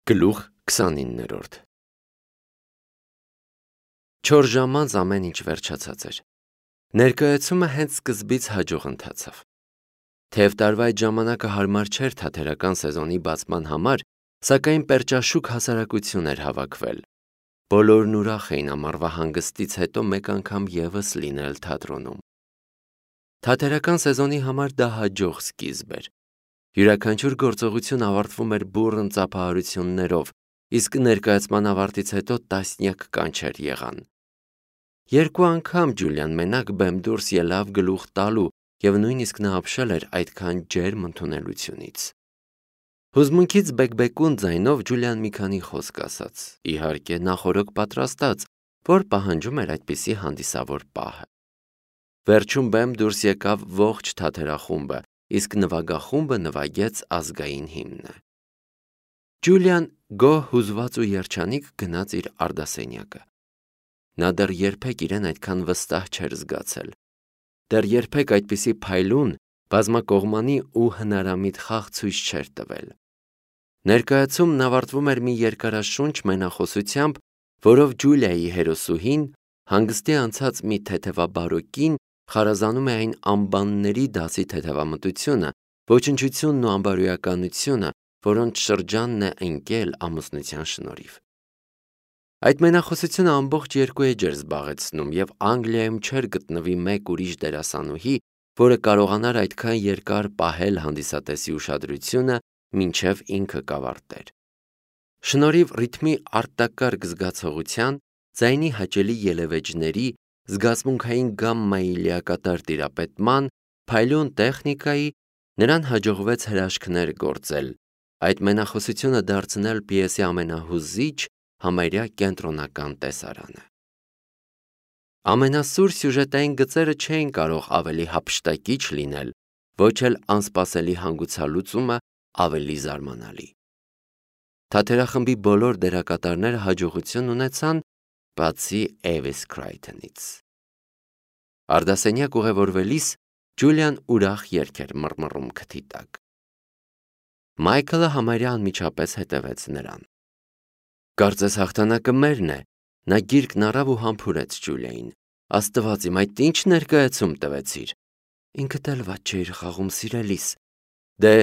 Գլուխ 29 Չոր ժամ անց ամեն ինչ վերջացած էր։ Ներկայացումը հենց սկզբից հաջող ընթացավ։ Թեև տարվա այդ ժամանակը հարմար չէր թատերական սեզոնի բացման համար, սակայն պերճաշուք հասարակություն էր հավաքվել։ Բոլորն ուրախ էին ամառվա հանգստից հետո մեկ անգամ ևս լինել թատրոնում։ Թատերական սեզոնի համար դա հաջող սկիզբ էր։ Յուրաքանչյուր գործողություն ավարտվում էր բուռն ծափահարություններով, իսկ ներկայացման ավարտից հետո տասնյակ կանչեր եղան։ Երկու անգամ Ջուլիան մենակ բեմ դուրս ելավ գլուխ տալու և նույնիսկ նա ապշել էր այդքան ջերմ ընդունելությունից։ Հուզմունքից բեկբեկուն ձայնով Ջուլիան մի քանի խոսք ասաց, իհարկե նախօրոք պատրաստած, որ պահանջում էր այդպիսի հանդիսավոր պահը։ Վերջում բեմ դուրս եկավ ողջ թատերախումբը, իսկ նվագախումբը նվագեց ազգային հիմնը։ Ջուլիան գոհ հուզված ու երջանիկ գնաց իր արդասենյակը։ Նա դեռ երբեք իրեն այդքան վստահ չէր զգացել։ Դեռ երբեք այդպիսի փայլուն, բազմակողմանի ու հնարամիտ խաղ ցույց չէր տվել։ Ներկայացումն ավարտվում էր մի երկարաշունչ մենախոսությամբ, որով Ջուլիայի հերոսուհին, հանգստի անցած մի թեթևաբարո կին, խարազանում է այն անբանների դասի թեթևամտությունը, ոչնչությունն ու անբարոյականությունը, որոնց շրջանն է ընկել ամուսնության շնորհիվ։ Այդ մենախոսությունը ամբողջ 2 էջ էր զբաղեցնում, և Անգլիայում չէր գտնվի մեկ ուրիշ դերասանուհի, որը կարողանար այդքան երկար պահել հանդիսատեսի ուշադրությունը, մինչև ինքը կավարտեր։ Շնորհիվ ռիթմի արտակարգ զգացողության, ձայնի հաճելի ելևէջների, զգացմունքային գամմայի լիակատար տիրապետման, փայլուն տեխնիկայի, նրան հաջողվեց հրաշքներ գործել, այդ մենախոսությունը դարձնել պիեսի ամենահուզիչ, համարյա կենտրոնական տեսարանը։ Ամենասուր սյուժետային գծերը չէին կարող ավելի հափշտակիչ լինել, ոչ էլ անսպասելի հանգուցալուծումը ավելի զարմանալի։ Թատերախմբի բոլոր դերակատարները հաջողություն ունեցան, բացի Էվիս Քրայթոնից։ Արդասենյակ ուղևորվելիս Ջուլիան ուրախ երգ էր մռմռում քթի տակ։ Մայքլը համարյա անմիջապես հետևեց նրան։ Կարծես հաղթանակը մերն է, նա գիրկն առավ ու համբուրեց Ջուլիային։ Աստված իմ, այդ ինչ ներկայացում տվեցիր։ Ինքդ էլ վատ չէիր խաղում, սիրելիս։ Դե,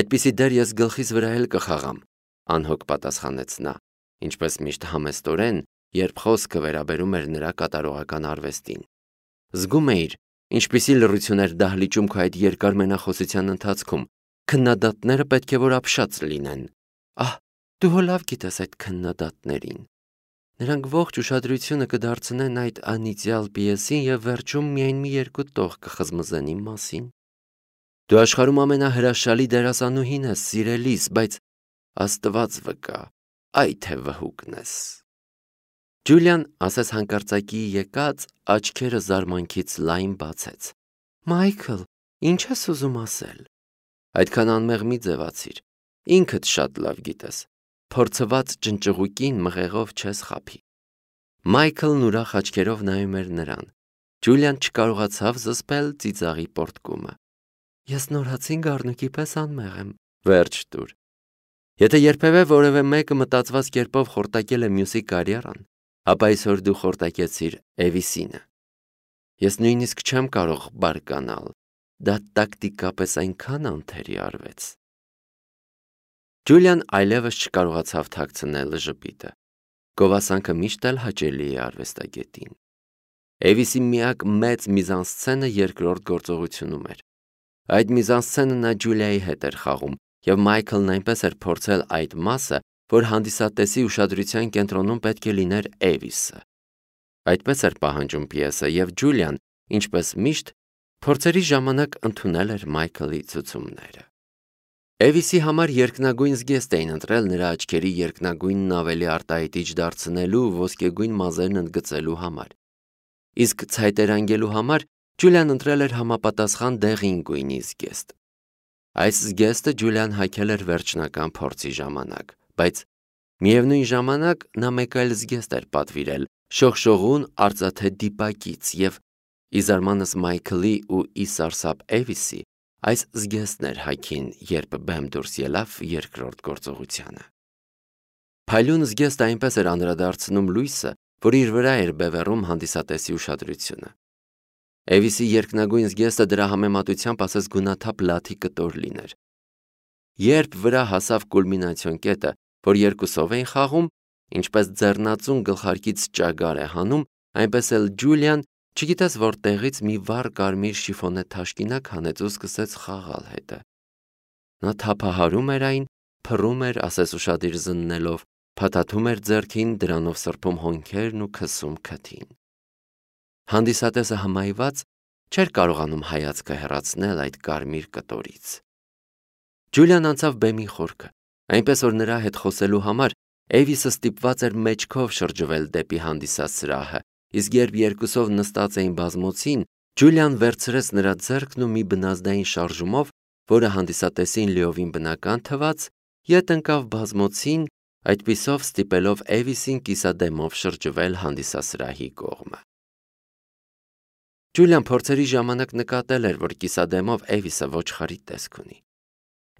այդպիսի դեր ես գլխիս վրա էլ կխաղամ, անհոգ պատասխանեց նա, ինչպես միշտ համեստորեն, երբ խոսքը վերաբերում էր նրա կատարողական արվեստին։ Զգում էիր, ինչպիսի լռություն էր դահլիճում քո այդ երկար մենախոսության ընթացքում, քննադատները պետք է որ ապշած լինեն։ Ահ, դու հո լավ գիտես այդ քննադատներին։ Նրանք ողջ ուշադրությունը կդարձնեն այդ անիծյալ պիեսին և վերջում միայն մի երկու տող կխզմզեն իմ մասին։ Դու աշխարհում ամենահրաշալի դերասանուհին ես, սիրելիս, բայց Աստված վկա, այ թե վհուկն ես։ Ջուլիան, ասես հանկարծակի եկած, աչքերը զարմանքից լայն բացեց։ Մայքլ, ինչ ես ուզում ասել։ Այդքան անմեղ մի ձևացիր, ինքդ շատ լավ գիտես, փորձված ճնճղուկին մղեղով չես խաբի։ Մայքլն ուրախ աչքերով նայում էր նրան։ Ջուլիան չկարողացավ զսպել ծիծաղի պոռթկումը։ Ես նորացին գառնուկի պես անմեղ եմ, վերջ տուր։ Եթե երբևէ որևէ մեկը մտածված կերպով խորտակել է մյուսի կարիերան, ապա այսօր դու խորտակեցիր Էվիսինը։ Ես նույնիսկ չեմ կարող բարկանալ, դա տակտիկապես այնքան անթերի արվեց։ Ջուլիան այլևս չկարողացավ թաքցնել ժպիտը։ Գովասանքը միշտ էլ հաճելի է արվեստագետին։ Էվիսի միակ մեծ միզանսցենը երկրորդ գործողությունում էր։ Այդ միզանսցենը նա Ջուլիայի հետ էր խաղում, և Մայքլն այնպես էր փորձել այդ մասը, որ հանդիսատեսի ուշադրության կենտրոնում պետք է լիներ Էվիսը։ Այդպես էր պահանջում պիեսը, և Ջուլիան, ինչպես միշտ, փորձերի ժամանակ ընդունել էր Մայքլի ցուցումները։ Էվիսի համար երկնագույն զգեստ էին ընտրել նրա աչքերի երկնագույնն ավելի արտահայտիչ դարձնելու, ոսկեգույն մազերն ընդգծելու համար։ Իսկ ցայտերանգելու համար Ջուլիան ընտրել էր համապատասխան դեղին գույնի զգեստ։ Այս զգեստը Ջուլիան հագել էր վերջնական փորձի ժամանակ, բայց միևնույն ժամանակ նա մեկ այլ զգեստ էր պատվիրել շողշողուն արծաթե դիպակից, և ի զարմանս Մայքլի ու ի սարսափ Էվիսի, այս զգեստն էր հագին, երբ բեմ դուրս ելավ երկրորդ գործողությանը։ Փայլուն զգեստը այնպես էր անդրադարձնում լույսը, որ իր վրա էր բևեռում հանդիսատեսի ուշադրությունը։ Էվիսի երկնագույն զգեստը դրա համեմատությամբ ասես գունաթափ լաթի կտոր լիներ։ Երբ վրա հասավ կուլմինացիոն կետը, որ երկուսով էին խաղում, ինչպես ձեռնածուն գլխարկից ճագար է հանում, այնպես էլ Ջուլիան, չգիտես որտեղից մի վառ կարմիր շիֆոնե թաշկինակ հանեց ու սկսեց խաղալ հետը։ Նա թափահարում էր այն, փռում էր, ասես ուշադիր զննելով, փաթաթում էր ձեռքին, դրանով սրբում հոնքերն ու քսում քթին։ Հանդիսատեսը հմայված չէր կարողանում հայացքը հեռացնել այդ կարմիր կտորից։ Ջուլիան անցավ բեմի խորքը, այնպես որ նրա հետ խոսելու համար Էվիսը ստիպված էր մեջքով շրջվել դեպի հանդիսած սրահը, իսկ երբ երկուսով նստած էին բազմոցին, Ջուլիան վերցրեց նրա ձեռքն ու մի բնազդային շարժումով, որը հանդիսատեսին լիովին բնական թվաց, ետ ընկավ բազմոցին, այդպիսով ստիպելով Էվիսին կիսադեմով շրջվել հանդիսասրահի կողմը։ Ջուլիան փորձերի ժամանակ նկատել էր, որ կիսադեմով Էվիսը ոչխարի տեսք ունի։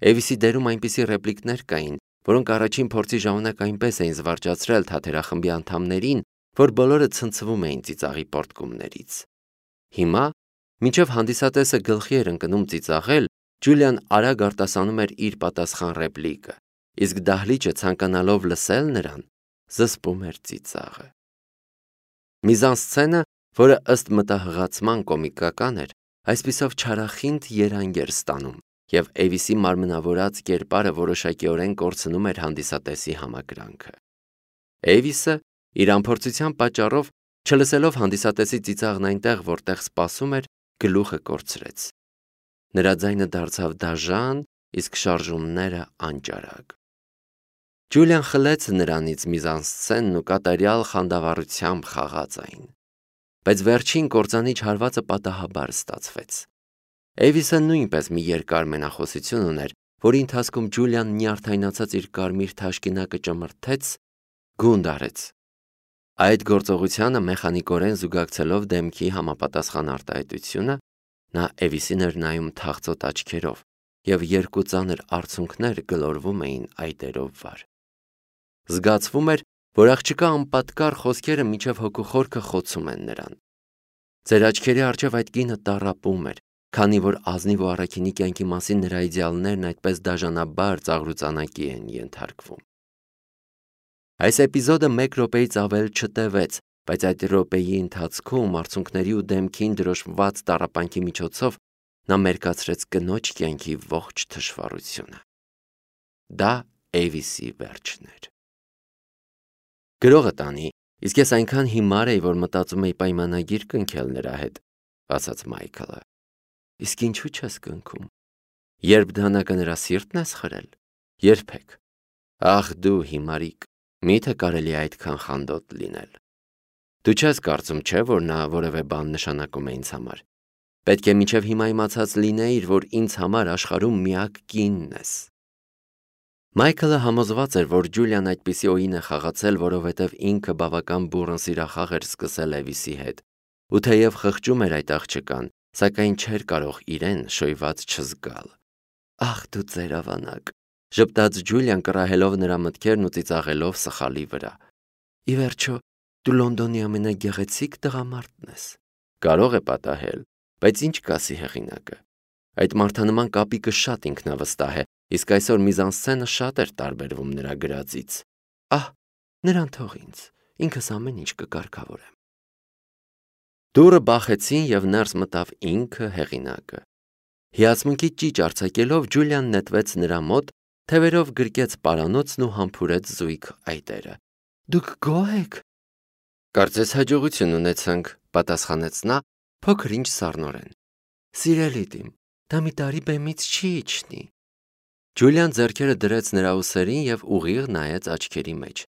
Էվիսի դերում այնպիսի ռեպլիկներ կային, որոնք առաջին փորձի ժամանակ այնպես էին զվարճացրել թատերախմբի անդամներին, որ բոլորը ցնցվում էին ծիծաղի պոռթկումներից։ Հիմա, մինչև հանդիսատեսը գլխի էր ընկնում ծիծաղել, Ջուլիան արագ արտասանում էր իր պատասխան ռեպլիկը, իսկ դահլիճը ցանկանալով լսել նրան, զսպում էր ծիծաղը։ Միզանսցենը, որը ըստ մտահղացման կոմիկական էր, այսպիսով չարախինդ երանգ էր ստանում, և Էվիսի մարմնավորած կերպարը որոշակիորեն կորցնում էր հանդիսատեսի համակրանքը։ Էվիսը, իր անփորձության պատճառով, չլսելով հանդիսատեսի ծիծաղն այնտեղ, որտեղ սպասում էր, գլուխը կորցրեց։ Նրա ձայնը դարձավ դաժան, իսկ շարժումները անճարակ։ Ջուլիան խլեց նրանից միզանսցենն ու կատարյալ խանդավառությամբ խաղաց այն։ Բայց վերջին կործանիչ հարվածը պատահաբար ստացվեց։ Էվիսը նույնպես մի երկար մենախոսություն ուներ, որի ընթացքում Ջուլիան նյարդայնացած իր կարմիր թաշկինակը ճմրթեց, գունդ արեց։ Այդ գործողությանը մեխանիկորեն զուգակցելով դեմքի համապատասխան արտահայտությունը, նա Էվիսին էր նայում թախծոտ աչքերով, և երկու ծանր արցունքներ գլորվում էին այտերով վար։ Զգացվում էր, որ աղջկա անպատկառ խոսքերը մինչև հոգու խորքը խոցում են նրան։ Ձեր աչքերի առջև այդ կինը տառապում էր, քանի որ ազնիվ ու առաքինի կյանքի մասին նրա իդեալներն այդպես դաժանաբար ծաղրուծանակի են ենթարկվում։ Այս էպիզոդը 1 րոպեից ավել չտևեց, բայց այդ րոպեի ընթացքում արցունքների ու դեմքին դրոշմված տառապանքի միջոցով նա մերկացրեց կնոջ կյանքի ողջ թշվառությունը։ Դա Էվիսի վերջն էր։ Գրողը տանի, իսկ ես այնքան հիմար էի, որ մտածում էի պայմանագիր կնքել նրա հետ, ասաց Մայքլը։ Իսկ ինչու չես կնքում։ Երբ դանակը նրա սիրտն ես խրել։ Երբեք։ Ախ դու հիմարիկ, միթե կարելի է այդքան խանդոտ լինել։ Դու չես կարծում, չէ, որ նա որևէ բան նշանակում է ինձ համար։ Պետք է մինչև հիմա իմացած լինեիր, որ ինձ համար աշխարհում միակ կինն ես։ Մայքլը համոզված էր, որ Ջուլիան այդպիսի օին է խաղացել, որովհետև ինքը բավական բուռն սիրախաղ էր սկսել Էվիսի հետ, ու թեև խղճում էր այդ աղջկան, սակայն չէր կարող իրեն շոյված չզգալ։ Ախ դու ծերավանակ, ժպտաց Ջուլիան կռահելով նրա մտքերն ու ծիծաղելով սխալի վրա։ Ի վերջո, դու Լոնդոնի ամենագեղեցիկ տղամարդն ես։ Կարող է պատահել, բայց ինչ կասի հեղինակը։ Այդ մարդանման կապիկը շատ ինքնավստահ է, իսկ այսօր միզանսցենը շատ էր տարբերվում նրա գրածից։ Ահ, նրան թող ինձ, ինքս ամեն ինչ կկարգավորեմ։ Դուռը բախեցին և ներս մտավ ինքը հեղինակը։ Հիացմունքի ճիճ արձակելով Ջուլիան նետվեց նրա մոտ, թևերով գրկեց պարանոցն ու համբուրեց զույգ այտերը։ Դուք գոհ եք։ Կարծես հաջողություն ունեցանք, պատասխանեց նա, փոքր-ինչ սառնորեն։ Սիրելի դիմ, դա մի տարի բեմից չի իջնի։ Ջուլիան ձեռքերը դրեց նրա ուսերին և ուղիղ նայեց աչքերի մեջ։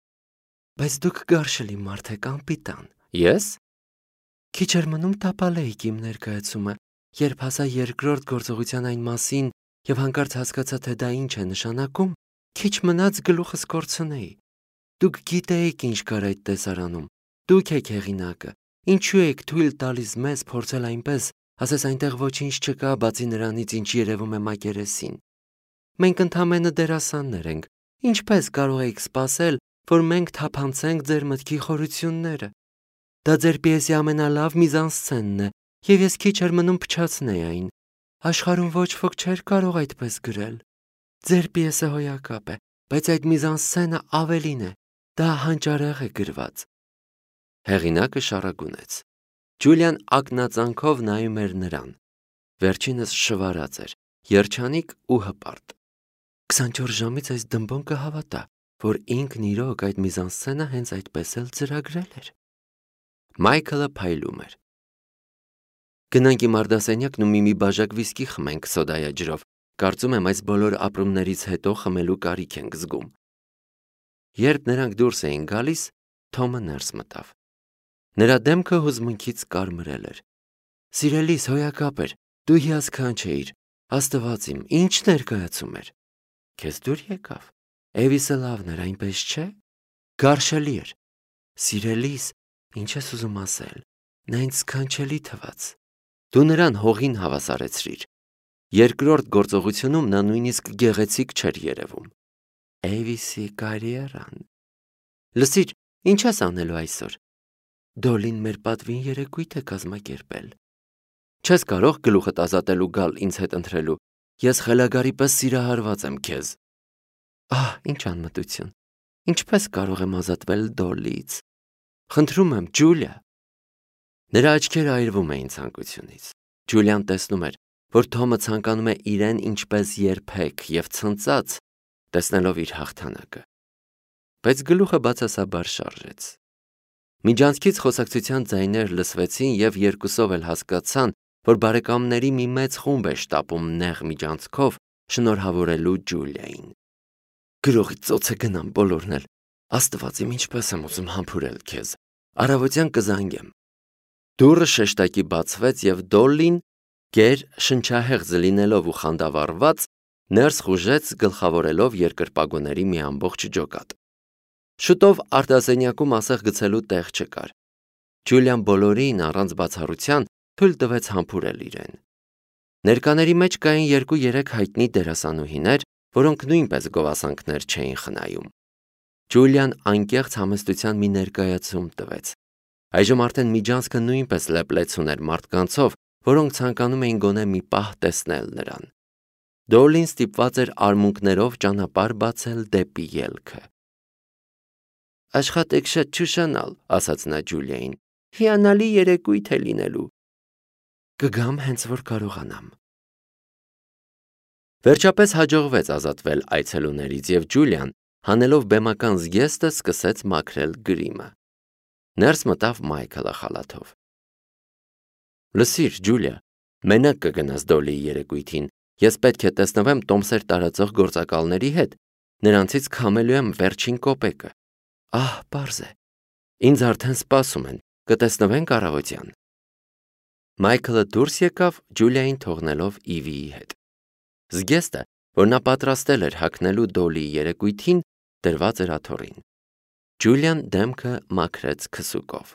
Բայց դուք գարշելի մարդ եք, անպիտան։ Ես։ Քիչ էր մնում տապալեիք իմ ներկայացումը, երբ հասա երկրորդ գործողության այն մասին և հանկարծ հասկացա, թե դա ինչ է նշանակում, քիչ մնաց գլուխս կորցնեի։ Դուք գիտեիք ինչ կար այդ տեսարանում։ Դուք եք հեղինակը։ Ինչու եք թույլ տալիս մեզ փորձել այնպես, ասես այնտեղ ոչինչ չկա, բացի նրանից, ինչ երևում է մակերեսին։ Մենք ընդամենը դերասաններ ենք։ Ինչպես կարող եք սպասել, որ մենք թափանցենք ձեր մտքի խորությունները։ Դա ձեր պիեսի ամենալավ միզանսցենն է, եւ ես քիչ էր մնում փչացնեի այն։ Աշխարհում ոչ ոք չէր կարող այդպես գրել։ Ձեր պիեսը հոյակապ է, բայց այդ միզանսցենը ավելին է։ Դա հանճարեղ է գրված։ Հեղինակը շարագունեց։ Ջուլիան ակնածանքով նայում էր նրան։ Վերջինս շվարած էր, երջանիկ ու հպարտ։ 24 ժամից այս դմբոն կհավատա, որ ինքն իրոք այդ միզանսցենը հենց այդպես էլ ծրագրել էր։ Մայքլը փայլում էր։ Գնանք իմ արդասենյակն ու մի բաժակ վիսկի խմենք սոդայա ջրով։ Կարծում եմ այս բոլոր ապրումներից հետո խմելու կարիք ենք զգում։ Երբ նրանք դուրս էին գալիս, Թոմը ներս մտավ։ Նրա դեմքը հուզմունքից կարմրել էր։ Սիրելիս, հոյակապ էր, դու հիասքանչ էիր, Աստված իմ, ինչ ներկայացում էր։ Քեզ դուր եկավ։ Էվիսը լավն էր, այնպես չէ։ Գարշելի էր։ Սիրելիս, ինչ ես ուզում ասել։ Նա ինձ սքանչելի թվաց։ Դու նրան հողին հավասարեցրիր։ Երկրորդ գործողությունում նա նույնիսկ գեղեցիկ չէր երևում։ Էվիսի կարիերան։ Լսիր, ինչ ես անելու այսօր։ Դոլին մեր պատվին երեկույթ է կազմակերպել։ Չես կարող գլուխդ ազատել ու գալ ինձ հետ ընթրելու։ Ես խելագարի պես սիրահարված եմ քեզ։ Ահ, ինչ անմտություն։ Ինչպես կարող եմ ազատվել Դոլից։ Խնդրում եմ, Ջուլիա։ Նրա աչքերը այրվում էին ցանկությունից։ Ջուլիան տեսնում էր, որ Թոմը ցանկանում է իրեն ինչպես երբեք եւ ցնծած, տեսնելով իր հաղթանակը։ Բայց գլուխը բացասաբար շարժեց։ Միջանցքից խոսակցության ձայներ լսվեցին եւ երկուսով էլ հասկացան, որ բարեկամների մի մեծ խումբ է շտապում նեղ միջանցքով շնորհավորելու Ջուլիային։ Գրողի ծոցը գնամ բոլորն էլ։ Աստված իմ, ինչպես եմ ուզում համբուրել քեզ։ Առավոտյան կզանգեմ։ Դուռը շեշտակի բացվեց եւ Դոլլին, գեր շնչահեղձ լինելով ու խանդավառված, ներս խուժեց գլխավորելով երկրպագուների մի ամբողջ ջոկատ։ Շուտով արտասենյակում ասեղ գցելու տեղ չկար։ Ջուլիան բոլորին առանց բացառության թույլ տվեց համբուրել իրեն։ Ներկաների մեջ կային 2-3 հայտնի դերասանուհիներ, որոնք նույնպես գովասանքներ չէին խնայում։ Ջուլիան անկեղծ համեստության մի ներկայացում տվեց։ Այժմ արդեն միջանցքը նույնպես լեփլեցուն էր մարդկանցով, որոնք ցանկանում էին գոնե մի պահ տեսնել նրան։ Դոլին ստիպված էր արմունկներով ճանապարհ բացել դեպի ելքը։ Աշխատեք շատ չուշանալ, ասաց նա Ջուլիային։ Հիանալի երեկույթ է լինելու։ Կգամ հենց որ կարողանամ։ Վերջապես հաջողվեց ազատվել այցելուներից եւ Ջուլիան, հանելով բեմական զգեստը, սկսեց մաքրել գրիմը։ Ներս մտավ Մայքլը խալաթով։ Լսիր, Ջուլիա, մենակ կգնաս Դոլիի երեկույթին։ Ես պետք է տեսնվեմ տոմսեր տարածող գործակալների հետ։ Նրանցից քամելու եմ վերջին կոպեկը։ Ահ, պարզ է։ Ինձ արդեն սպասում են։ Կտեսնվենք առավոտյան։ Մայքլը դուրս եկավ Ջուլիային թողնելով Իվիի հետ։ Զգեստը, որ նա պատրաստել էր հագնելու Դոլիի երեկույթին, դրված էր աթոռին։ Ջուլիան դեմքը մաքրեց քսուկով։